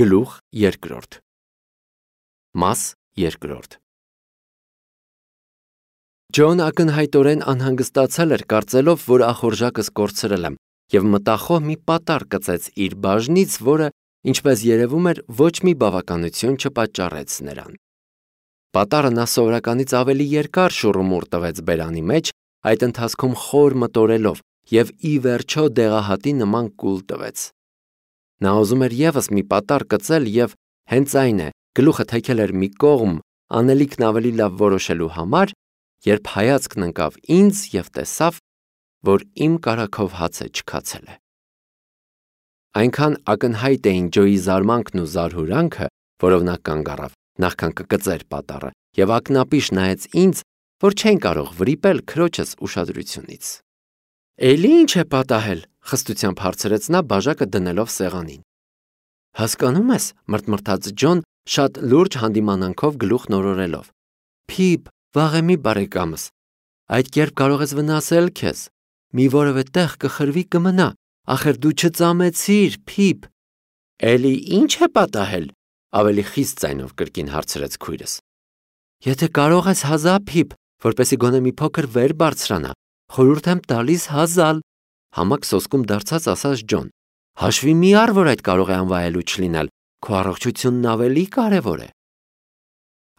Գլուխ երկրորդ Մաս երկրորդ Ջոն ակնհայտորեն անհանգստացել էր, կարծելով, որ ախորժակս կորցրել եմ, և մտախոհ մի պատառ կծեց իր բաժնից, որը, ինչպես երևում էր, ոչ մի բավականություն չպատճառեց նրան։ Պատառը նա սովորականից ավելի երկար շուռումուռ տվեց բերանի մեջ, այդ ընթացքում խոր մտորելով և ի վերջո դեղահատի նման կուլ տվեց։ Նա ուզում էր ևս մի պատառ կծել և հենց այն է, գլուխը թեքել էր մի կողմ, անելիքն ավելի լավ որոշելու համար, երբ հայացքն ընկավ ինձ և տեսավ, որ իմ կարագով հացը չքացել է։ Այնքան ակնհայտ էին Ջոյի զարմանքն ու զարհուրանքը, որով նա կանգ առավ, նախքան կկծեր պատառը, և ակնապիշ նայեց ինձ, որ չէին կարող վրիպել քրոջս ուշադրությունից։ «Էլի ի՞նչ է պատահել», խստությամբ հարցրեց նա, բաժակը դնելով սեղանին։ «Հասկանո՞ւմ ես», մրթմրթաց Ջոն, շատ լուրջ հանդիմանանքով գլուխն օրորելով։ «Փիփ, վաղեմի բարեկամս, այդ կերպ կարող ես վնասել քեզ, մի որևէ տեղ կխրվի կմնա, ախր դու չծամեցիր, Փիփ»։ «Էլի ի՞նչ է պատահել», ավելի խիստ ձայնով կրկին հարցրեց քույրս։ «Եթե կարող ես հազա, Փիփ, որպեսզի գոնե մի փոքր վեր բարձրանա, խորհուրդ եմ տալիս հազալ», համակ սոսկում դարձած ասաց Ջոն։ «Հաշվի մի առ, որ այդ կարող է անվայելուչ լինել, քո առողջությունն ավելի կարևոր է»։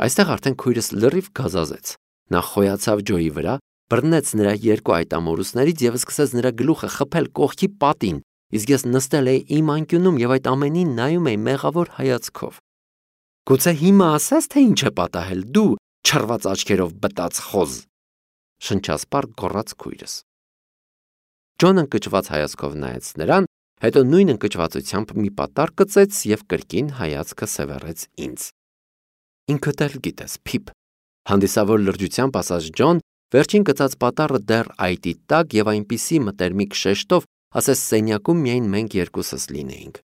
Այստեղ արդեն քույրս լրիվ գազազեց։ Նա խոյացավ Ջոյի վրա, բռնեց նրա երկու այտամորուսներից և սկսեց նրա գլուխը խփել կողքի պատին, իսկ ես նստել էի իմ անկյունում և այդ ամենին նայում էի մեղավոր հայացքով։ «Գուցե հիմա ասես, թե ինչ է պատահել, դու չռված աչքերով բտած խոզ», շնչասպառ գոռաց քույրս։ Ջոն ընկճված հայացքով նայեց նրան, հետո նույն ընկճվածությամբ մի պատառ կծեց և կրկին հայացքը սևեռեց ինձ։ «Ինքդ էլ գիտես, Փիփ», հանդիսավոր լրջությամբ ասաց Ջոն, վերջին գծած պատառը դեռ այտի տակ և այնպիսի մտերմիկ շեշտով, ասես սենյակում միայն մենք երկուսս լինեինք։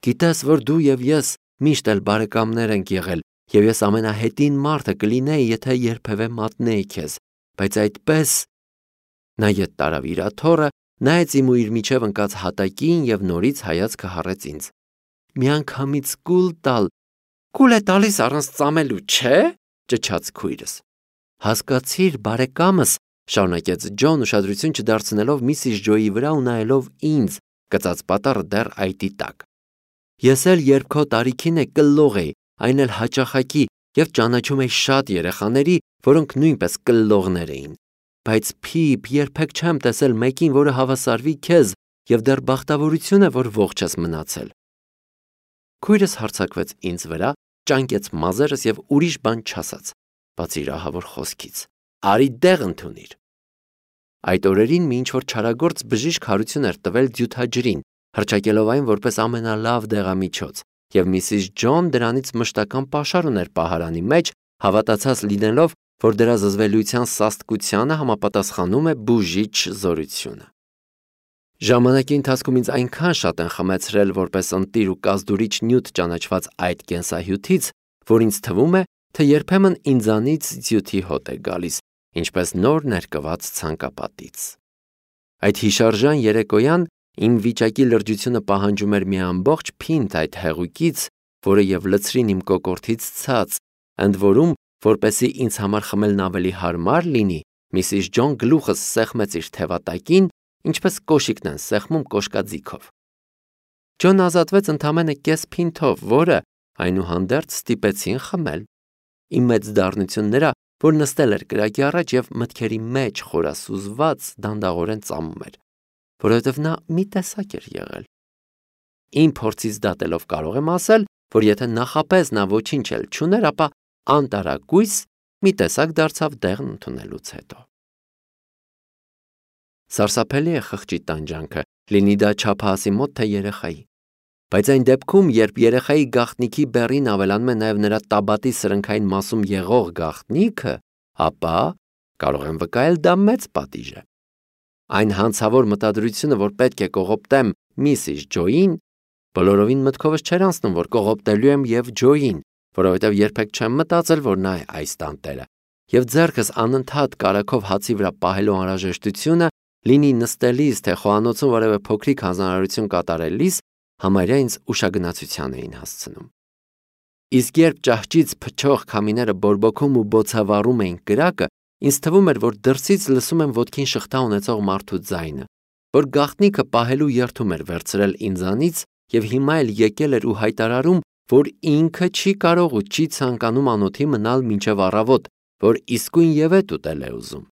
«Գիտես, որ դու և ես միշտ էլ բարեկամներ ենք եղել, և ես ամենահետին մարդը կլինեի, եթե երբևէ մատնեի քեզ, բայց այդպես…» Նա ետ տարավ իր աթոռը, նայեց իմ ու իր միջև ընկած հատակին և նորից հայացքը հառեց ինձ։ «Միանգամից կուլ տալ, կուլ է տալիս առանց ծամելու, չէ՞, ճչաց քույրս։ «Հասկացիր, բարեկամս», շարունակեց Ջոն, ուշադրություն չդարձնելով միսիս Ջոյի վրա ու նայելով ինձ, գծած պատառը դեռ այտի տակ։ «Ես էլ երբ քո տարիքին է կլլող էի, այն էլ հաճախակի, և ճանաչում էի շատ երեխաների, որոնք նույնպես կլլողներ էին։ Բայց Փիփ, երբեք չեմ տեսել մեկին, որը հավասարվի քեզ, և դեռ բախտավորություն է, որ ողջ ես մնացել»։ Քույրս հարձակվեց ինձ վրա, ճանկեց մազերս և ուրիշ բան չասաց, բացի իր ահավոր խոսքից։ «Արի դեղ ընդունիր»։ Այդ օրերին մի ինչ-որ չարագործ բժիշկ հարություն էր տվել դյութաջրին, հռչակելով այն որպես ամենալավ դեղամիջոց, և միսիս Ջոն դրանից մշտական պաշար ուներ պահարանի մեջ, հավատացած լինելով, որ դրա զզվելիության սաստկությանը համապատասխանում է բուժիչ զորությունը։ Ժամանակի ընթացքում ինձ այնքան շատ են խմեցրել որպես ընտիր ու կազդուրիչ նյութ ճանաչված այդ կենսահյութից, որ ինձ թվում է, թե երբեմն ինձանից ձյութի հոտ է գալիս, ինչպես նոր ներկված ցանկապատից։ Այդ հիշարժան երեկոյան իմ վիճակի լրջությունը պահանջում էր մի ամբողջ փինտ այդ հեղուկից, որը և լցրին իմ կոկորդից ցած, ընդ որում, որպեսզի ինձ համար խմելն ավելի հարմար լինի, միսիս Ջոն գլուխս սեղմեց իր թևատակին, ինչպես կոշիկն են սեղմում կոշկաձիգով։ Ջոն ազատվեց ընդամենը կես փինթով, որը, այնուհանդերձ, ստիպեցին խմել։ Իմ մեծ դառնություն նրա, որ նստել էր կրակի առաջ և մտքերի մեջ խորասուզված դանդաղորեն ծամում էր, որովհետև նա մի տեսակ էր եղել։ Իմ փորձից դատելով կարող եմ ասել, որ եթե նախապես նա ոչինչ էլ չուներ, ապա անտարակույս մի տեսակ դարձավ դեղն ընդունելուց հետո։ Սարսափելի է խղճի տանջանքը, լինի դա չափահասի մոտ, թե երեխայի։ Բայց այն դեպքում, երբ երեխայի գաղտնիքի բեռին ավելանում է նաև նրա տաբատի սրնքային մասում եղող գաղտնիքը, ապա կարող եմ վկայել, դա մեծ պատիժ է։ Այն հանցավոր մտադրությունը, որ պետք է կողոպտեմ միսիս Ջոյին, բոլորովին մտքովս չէր անցնում, որ կողոպտելու եմ և Ջոյին, որովհետև երբեք չեմ մտածել, որ նա է այս տանտերը, և ձեռքս անընդհատ կարագով հացի վրա պահելու անհրաժեշտությունը, լինի նստելիս, թե խոհանոցում որևէ փոքրիկ հանձնարարություն կատարելիս, համարյա ինձ ուշագնացության էին հասցնում։ Իսկ երբ ճահճից փչող քամիները բորբոքում ու բոցավառում էին կրակը, ինձ թվում էր, որ դրսից լսում եմ ոտքին շղթա ունեցող մարդու ձայնը, որ գաղտնիքը պահելու երթում էր վերցրել ինձանից եւ հիմա էլ եկել էր ու հայտարարում, որ ինքը չի կարող ու չի ցանկանում անոթի մնալ մինչև առավոտ, որ իսկույն ևեթ ուտել է ուզում։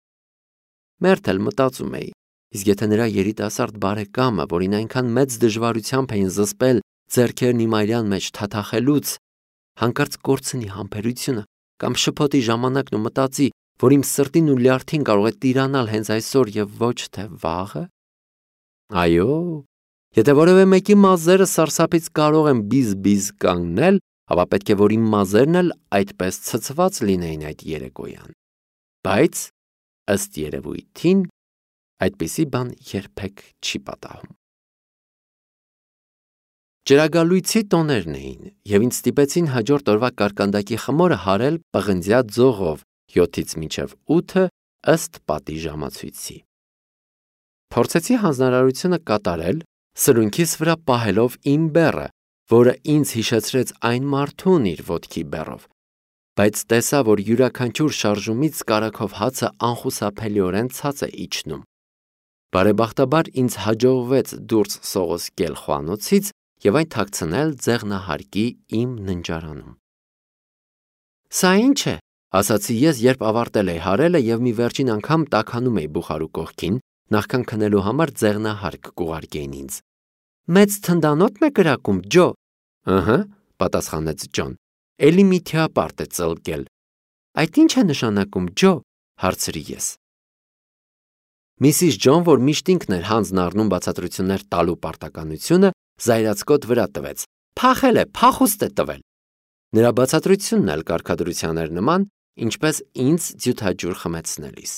Մերթ էլ մտածում էի, իսկ եթե նրա երիտասարդ բարեկամը, որին այնքան մեծ դժվարությամբ էին զսպել ձեռքերն իմ այրան մեջ թաթախելուց, հանկարծ կորցնի համբերությունը կամ շփոթի ժամանակն ու մտածի, որ իմ սրտին ու լյարդին կարող է տիրանալ հենց այսօր եւ ոչ թե վաղը։ Այո, եթե որևէ մեկի մազերը սարսափից կարող են բիզ-բիզ կանգնել, ապա պետք է որ իմ մազերն էլ այդպես ցցված լինեին այդ երեկոյան։ Բայց ըստ երևույթին այդպիսի բան երբեք չի պատահում։ Ջրագալույցի տոներն էին, եւ ինձ ստիպեցին հաջորդ օրվա կարկանդակի խմորը հարել պղնձյա ձողով 7-ից մինչև 8 ըստ պատի ժամացույցի։ Փորձեցի հանձնարարությունը կատարել, սրունքիս վրա պահելով իմ բեռը, որը ինձ հիշեցրեց այն մարդուն իր ոտքի բեռով, բայց տեսա, որ յուրաքանչյուր շարժումից կարագով հացը անխուսափելիորեն ցած է իջնում։ Բարեբախտաբար ինձ հաջողվեց դուրս սողոսկել խոհանոցից եւ այն թաքցնել ձեղնահարկի իմ ննջարանում։ Սա ի՞նչ է, ասացի ես, երբ ավարտել էի հարելը եւ մի վերջին անգամ տաքանում էի բուխարու կողքին, նախքան քնելու համար ձեղնահարկ կուղարկեին ինձ։ Մեծ թնդանոթն է կրակում, Ջո։ Ըհը, պատասխանեց Ջոն։ Էլի մի թիապարտ է ծլկել։ Այդ ի՞նչ է նշանակում, Ջո, հարցրի ես։ Միսիս Ջոն, որ միշտ ինքն էր հանձն առնում բացատրություններ տալու պարտականությունը, զայրացկոտ վրա տվեց։ Փախել է, փախուստ է տվել։ Նրա բացատրությունն էլ կարգադրության էր նման, ինչպես ինձ ձյութաջուր խմեցնելիս։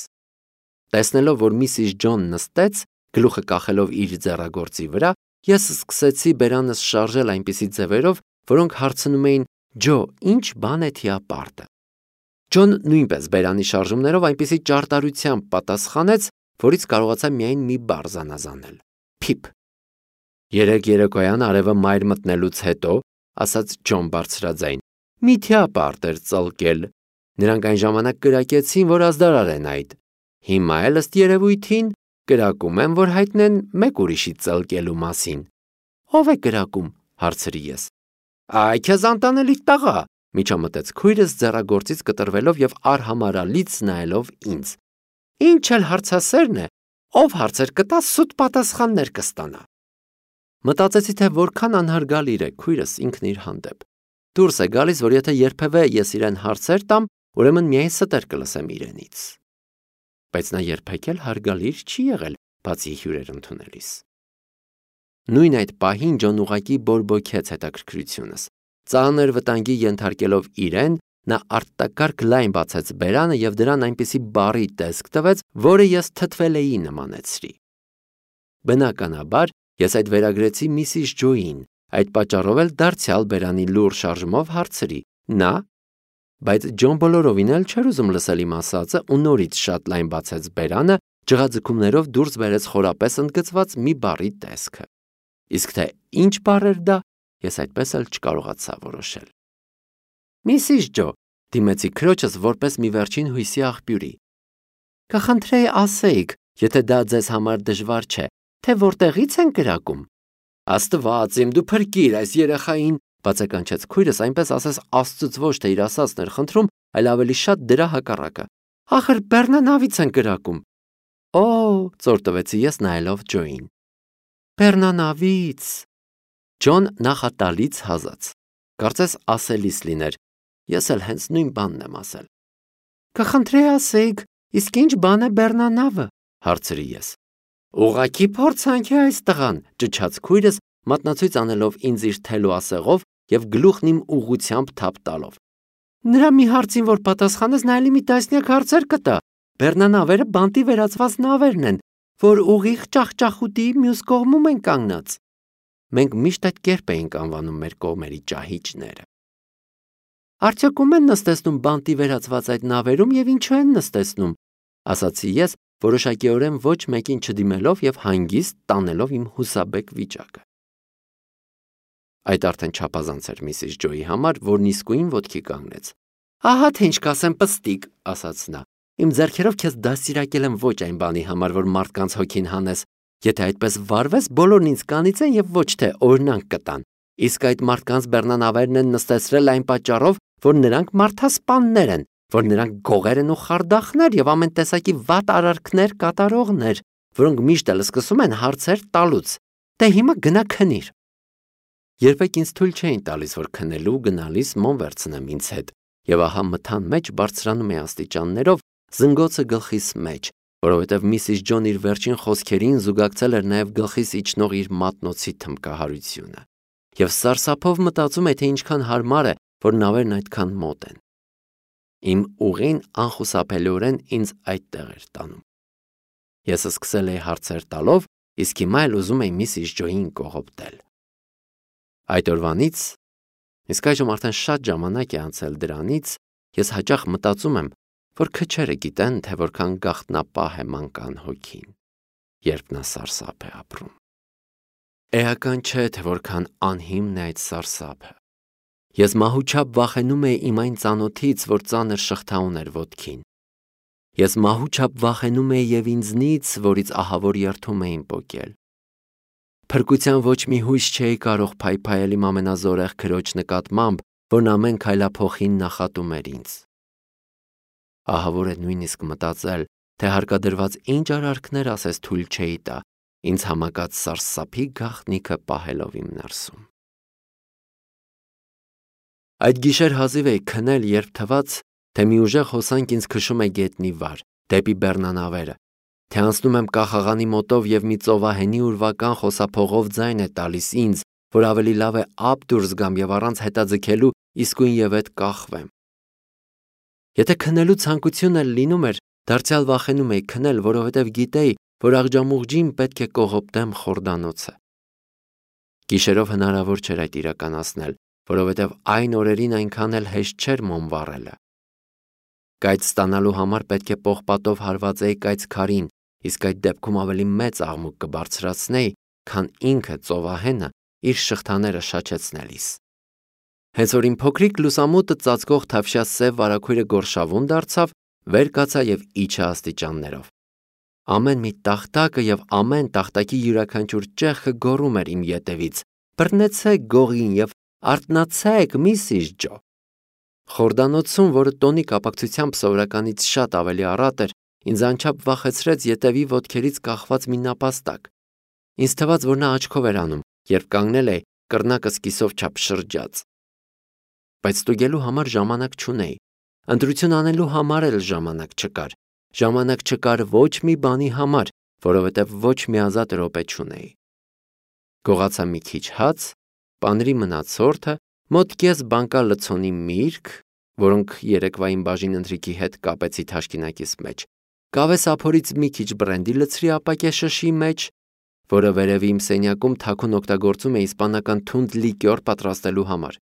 Տեսնելով, որ միսիս Ջոն նստեց, գլուխը կախելով իր ձեռագործի վրա, ես սկսեցի բերանս շարժել այնպիսի ձևերով, որոնք հարցնում էին. Ջո, ինչ բան է թիապարտը։ Ջոն նույնպես բերանի շարժումներով այնպիսի ճարտարությամբ պատասխանեց, որից կարողացա միայն մի բառ զանազանել. Փիփ։ Երեք երեկոյան արևը մայր մտնելուց հետո, ասաց Ջոն բարձրաձայն, մի թիապարտ էր ծլկել։ Նրանք այն ժամանակ կրակեցին, որ ազդարար են այդ։ Հիմա էլ ըստ երևույթին կրակում են, որ հայտնեն մեկ ուրիշի ծլկելու մասին։ Ո՞վ է կրակում, հարցրի ես։ Այ քեզ անտանելի տղա, միջամտեց քույրս ձեռագործից կտրվելով եւ արհամարալից նայելով ինձ։ Ինչ էլ հարցասերն է, ով հարցեր կտա, սուտ պատասխաններ կստանա։ Մտածեցի, թե որքան անհարգալիր է քույրս ինքն իր հանդեպ։ Դուրս է գալիս, որ եթե երբևէ ես իրեն հարցեր տամ, ուրեմն միայն ստեր կլսեմ իրենից։ Բայց նա երբեք էլ հարգալիր չի եղել, բացի հյուրեր ընդունելիս։ Նույն այդ պահին Ջոն ուղակի բորբոքեց հետաքրքրությունս։ Ծանր վտանգի ենթարկելով իրեն, նա արտակարգ լայն բացեց բերանը եւ դրան այնպիսի բառի տեսք տվեց, որը ես թթվել էի նմանեցրի։ Բնականաբար ես այդ վերագրեցի միսիս Ջոյին, այդ պատճառով էլ դարձյալ բերանի լուր շարժումով հարցրի. Նա, բայց Ջոն բոլորովին էլ չէր ուզում լսել իմ ասածը ու նորից շատ լայն բացեց բերանը, ջղաձգումներով դուրս բերեց խորապես ընդգծված մի բառի տեսքը։ Իսկ թե ինչ բառ էր դա, ես այդպես էլ չկարողացա որոշել։ Միսիս Ջո, դիմեցի քրոջս որպես մի վերջին հույսի աղբյուրի։ Կխնդրեի ասեիք, եթե դա ձեզ համար դժվար չէ, թե որտեղից են կրակում։ Աստված իմ, դու փրկիր այս երեխային, բացականչեց քույրս, այնպես ասես Աստծուց ոչ թե իր ասածն էր խնդրում, այլ ավելի շատ դրա հակառակը։ Ախր Բեռնանավից են կրակում։ Օ, ծոր տվեցի ես նայելով Ջոյին։ Բեռնանավից։ Ջոն նախատալից հազաց։ Կարծես ասելիս լիներ։ Ես էլ հենց նույն բանն եմ ասել։ Կխնդրեի ասեիք, իսկ ինչ բան է Բեռնանավը, հարցրի ես։ Ուղղակի փորձանք է այս տղան, ճչաց քույրս, մատնացույց անելով ինձ իր թելու ասեղով եւ գլուխն իմ ուղղությամբ թափ տալով։ Նրա մի հարցին, որ պատասխանես, նա էլի մի տասնյակ հարցեր կտա։ Բեռնանավերը բանտի վերածված նավերն են, որ ուղիղ ճախճախուտի մյուս կողմում են կանգնած։ Մենք միշտ այդ կերպ էինք անվանում մեր կողմերի ճահիճները։ Արդյոք ում են նստեցնում բանտի վերածված այդ նավերում եւ ինչու են նստեցնում, ասացի ես, որոշակիորեն ոչ մեկին չդիմելով եւ հանգիստ տանելով իմ հուսաբեկ վիճակը։ Այդ արդեն չափազանց էր Միսիս Ջոյի համար, որն իսկույն ոտքի կանգնեց։ Ահա թե ինչ կասեմ, պստիկ, ասաց նա։ Իմ ձեռքերով քեզ դաստիարակել եմ ոչ այն բանի համար, որ մարդկանց հոգին հանես։ Եթե այդպես վարվես, բոլորն ինձ կանիծեն եւ ոչ թե օրինակ կտան։ Իսկ այդ մարդկանց բեռնանավերն են նստեցրել այն պատճառով, որ նրանք մարդասպաններ են, որ նրանք գողեր են ու խարդախներ եւ ամեն տեսակի վատ արարքներ կատարողներ, որոնք միշտ էլ սկսում են հարցեր տալուց։ Դե հիմա գնա քնիր։ Երբեք ինձ թույլ չէին տալիս, որ քնելու գնալիս մոմ վերցնեմ ինձ հետ, եւ ահա մթան մեջ բարձրանում է աստիճաններով, զնգոցը գլխիս մեջ, որովհետեւ Միսիս Ջոն իր վերջին խոսքերին զուգակցել էր նաեւ գլխիս իջնող իր մատնոցի թմկահարությունը, եւ սարսափով մտածում է, թե ինչքան հարմար է, որ նավերն այդքան մոտ են։ Իմ ուղին անխուսափելիորեն ինձ այդտեղ էր տանում։ Ես սկսել էի հարցեր տալով, իսկ հիմա էլ ուզում էի Միսիս Ջոյին կողոպտել։ Այդ օրվանից, իսկ այժմ արդեն շատ ժամանակ է անցել դրանից, ես հաճախ մտածում եմ, որ քչերը գիտեն, թե որքան գաղտնապահ է մանկան հոգին, երբ նա սարսափ է ապրում։ Էական չէ, թե որքան անհիմն է այդ սարսափը։ Ես մահուչափ վախենում էի իմ այն ծանոթից, որ ծանր շղթա ուներ ոտքին։ Ես մահուչափ վախենում էի եւ ինձնից, որից ահավոր երթում էին պոկել։ Փրկության ոչ մի հույս չէի կարող փայփայել իմ ամենազորեղ քրոջ նկատմամբ, որն ամեն քայլափոխին նախատում էր ինձ։ Ահավոր է նույնիսկ մտածել, թե հարկադրված ինչ արարքներ ասես թույլ չէի տա, ինձ համակած սարսափի գաղտնիքը պահելով իմ ներսում։ Այդ գիշեր հազիվ էի քնել, երբ թվաց, թե մի ուժեղ հոսանք ինձ քշում է գետնի վար, դեպի բեռնանավերը, թե անցնում եմ կախաղանի մոտով եւ մի ծովահենի ուրվական խոսափողով ձայն է տալիս ինձ, որ ավելի լավ է ափ դուրս գամ եւ առանց հետաձգելու իսկույն եւ այդ կախվեմ։ Եթե քնելու ցանկություն էլ լինում էր, դարձյալ վախենում էի քնել, որովհետեւ գիտեի, որ աղջամուղջին պետք է կողոպտեմ խորդանոցը։ Գիշերով հնարավոր չէր այդ իրականացնել, որովհետեւ այն օրերին այնքան էլ հեշտ չէր մոմ վառելը։ Կայծ ստանալու համար պետք է պողպատով հարվածեի կայծ քարին, իսկ այդ դեպքում ավելի մեծ աղմուկ կբարձրացնեի, քան ինքը ծովահենը իր շղթաները շաչեցնելիս։ Հենց որ իմ փոքրիկ լուսամուտը ծածկող թավշյա սև վարագույրը գորշավուն դարձավ, վեր կացա եւ իջա աստիճաններով։ Ամեն մի տախտակը եւ ամեն տախտակի յուրաքանչյուր ճեղքը գոռում էր իմ ետևից. «Բռնեցեք գողին եւ արթնացեք, Միսիս Ջո»։ Խորդանոցում, որը տոնի կապակցությամբ սովորականից շատ ավելի առատ էր, ինձ անչափ վախեցրեց ետևի ոտքերից կախված մի նապաստակ։ Ինձ թվաց, որ նա աչքով էր անում, երբ կանգնել էի, կռնակս կիսով չափ շրջած։ Բայց ստուգելու համար ժամանակ չունեի, ընտրություն անելու համար էլ ժամանակ չկար։ Ժամանակ չկար ոչ մի բանի համար, որովհետև ոչ մի ազատ րոպե չունեի։ Գողացա մի քիչ հաց, պանրի մնացորդը, մոտ կես բանկա լցոնի միրգ, որոնք երեկվային բաժին ընթրիքի հետ կապեցի թաշկինակիս մեջ, կավե սափորից մի քիչ բրենդի լցրի ապակե շշի մեջ, որը վերևի իմ սենյակում թաքուն օգտագործում է իսպանական թունդ լիկյոր պատրաստելու համար։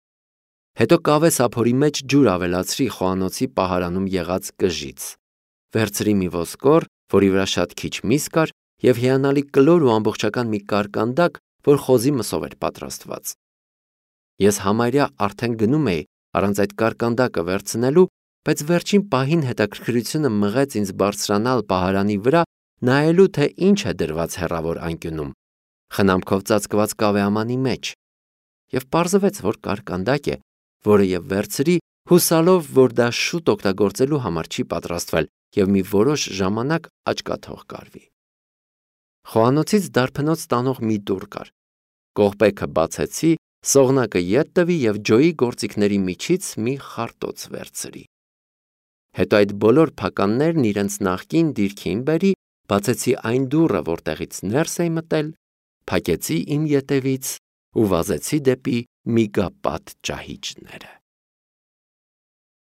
Հետո կավե սափորի մեջ ջուր ավելացրի խոհանոցի պահարանում եղած կժից։ Վերցրի մի ոսկոր, որի վրա շատ քիչ միս կար, եւ հիանալի կլոր ու ամբողջական մի կարկանդակ, որ խոզի մսով էր պատրաստված։ Ես համարյա արդեն գնում էի առանց այդ կարկանդակը վերցնելու, բայց վերջին պահին հետաքրքրությունը մղեց ինձ բարձրանալ պահարանի վրա, նայելու թե ինչ է դրված հեռավոր անկյունում, խնամքով ծածկված կավեամանի մեջ, եւ պարզվեց, որ կարկանդակ է, որը եւ վերցրի, հուսալով, որ դա շուտ օգտագործելու համար չի պատրաստվել եւ մի որոշ ժամանակ աչքաթող կարվի։ Խոհանոցից դարբնոց տանող մի դուռ կար։ Կողպեքը բացեցի, սողնակը ետ տվի եւ Ջոյի գործիքների միջից մի խարտոց վերցրի։ Հետո այդ բոլոր փականներն իրենց նախկին դիրքին բերի, բացեցի այն դուռը, որտեղից ներս էի մտել, փակեցի իմ ետևից ու վազեցի դեպի միգապատ ճահիճները։